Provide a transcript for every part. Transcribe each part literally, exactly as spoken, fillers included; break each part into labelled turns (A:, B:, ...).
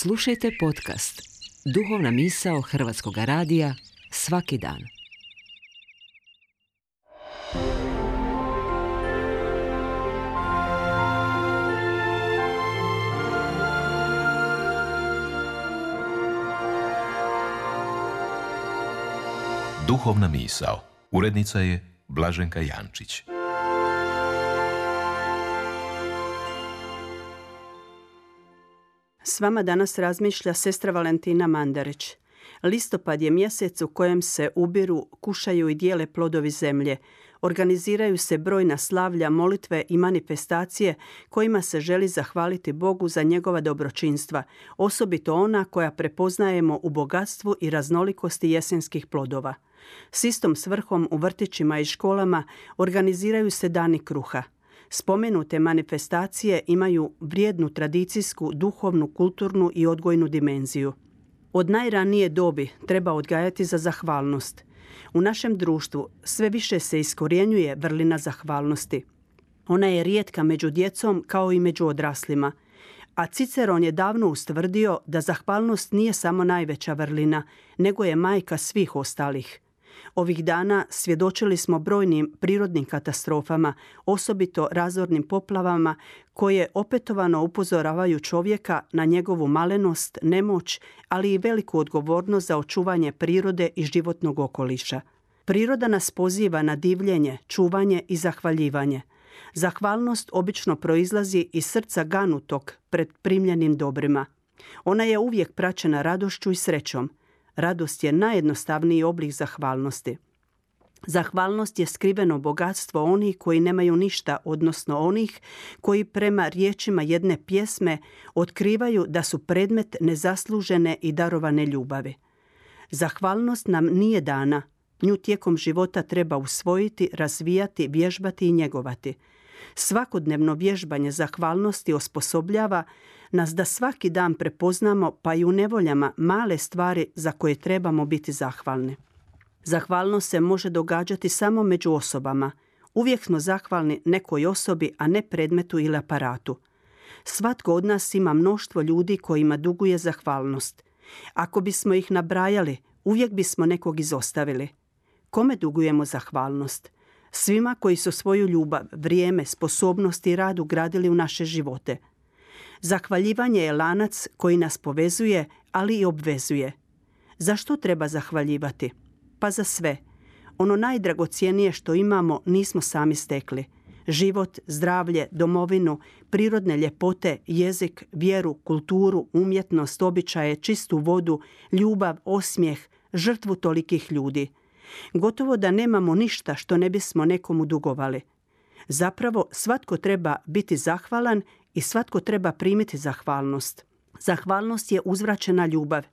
A: Slušajte podcast Duhovna misao Hrvatskog radija svaki dan.
B: Duhovna misao. Urednica je Blaženka Jančić.
C: S vama danas razmišlja sestra Valentina Mandarić. Listopad je mjesec u kojem se ubiru, kušaju i dijele plodovi zemlje. Organiziraju se brojna slavlja, molitve i manifestacije kojima se želi zahvaliti Bogu za njegova dobročinstva, osobito ona koja prepoznajemo u bogatstvu i raznolikosti jesenskih plodova. S istom svrhom u vrtićima i školama organiziraju se dani kruha. Spomenute manifestacije imaju vrijednu tradicijsku, duhovnu, kulturnu i odgojnu dimenziju. Od najranije dobi treba odgajati za zahvalnost. U našem društvu sve više se iskorjenjuje vrlina zahvalnosti. Ona je rijetka među djecom kao i među odraslima. A Ciceron je davno ustvrdio da zahvalnost nije samo najveća vrlina, nego je majka svih ostalih. Ovih dana svjedočili smo brojnim prirodnim katastrofama, osobito razornim poplavama, koje opetovano upozoravaju čovjeka na njegovu malenost, nemoć, ali i veliku odgovornost za očuvanje prirode i životnog okoliša. Priroda nas poziva na divljenje, čuvanje i zahvaljivanje. Zahvalnost obično proizlazi iz srca ganutog pred primljenim dobrima. Ona je uvijek praćena radošću i srećom. Radost je najjednostavniji oblik zahvalnosti. Zahvalnost je skriveno bogatstvo onih koji nemaju ništa, odnosno onih koji prema riječima jedne pjesme otkrivaju da su predmet nezaslužene i darovane ljubavi. Zahvalnost nam nije dana. Nju tijekom života treba usvojiti, razvijati, vježbati i njegovati. Svakodnevno vježbanje zahvalnosti osposobljava nas da svaki dan prepoznamo, pa i u nevoljama, male stvari za koje trebamo biti zahvalni. Zahvalnost se može događati samo među osobama. Uvijek smo zahvalni nekoj osobi, a ne predmetu ili aparatu. Svatko od nas ima mnoštvo ljudi kojima duguje zahvalnost. Ako bismo ih nabrajali, uvijek bismo nekog izostavili. Kome dugujemo zahvalnost? Svima koji su svoju ljubav, vrijeme, sposobnost i rad ugradili u naše živote. Zahvaljivanje je lanac koji nas povezuje, ali i obvezuje. Zašto treba zahvaljivati? Pa za sve. Ono najdragocjenije što imamo nismo sami stekli. Život, zdravlje, domovinu, prirodne ljepote, jezik, vjeru, kulturu, umjetnost, običaje, čistu vodu, ljubav, osmijeh, žrtvu tolikih ljudi. Gotovo da nemamo ništa što ne bismo nekomu dugovali. Zapravo, svatko treba biti zahvalan i svatko treba primiti zahvalnost. Zahvalnost je uzvraćena ljubav.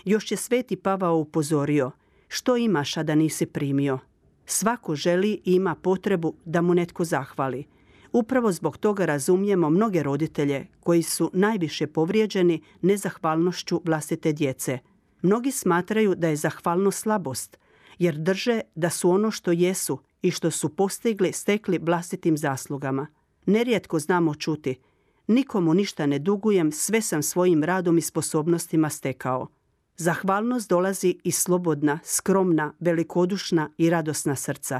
C: Još je Sveti Pavao upozorio: što imaš, a da nisi primio? Svako želi i ima potrebu da mu netko zahvali. Upravo zbog toga razumijemo mnoge roditelje koji su najviše povrijeđeni nezahvalnošću vlastite djece. Mnogi smatraju da je zahvalnost slabost, jer drže da su ono što jesu i što su postigli stekli vlastitim zaslugama. Nerijetko znamo čuti: nikomu ništa ne dugujem, sve sam svojim radom i sposobnostima stekao. Zahvalnost dolazi iz slobodna, skromna, velikodušna i radosna srca.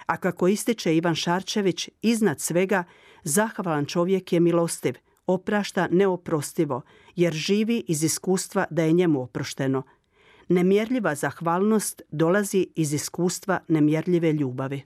C: A kako ističe Ivan Šarčević, iznad svega zahvalan čovjek je milostiv, oprašta neoprostivo, jer živi iz iskustva da je njemu oprošteno. Nemjerljiva zahvalnost dolazi iz iskustva nemjerljive ljubavi.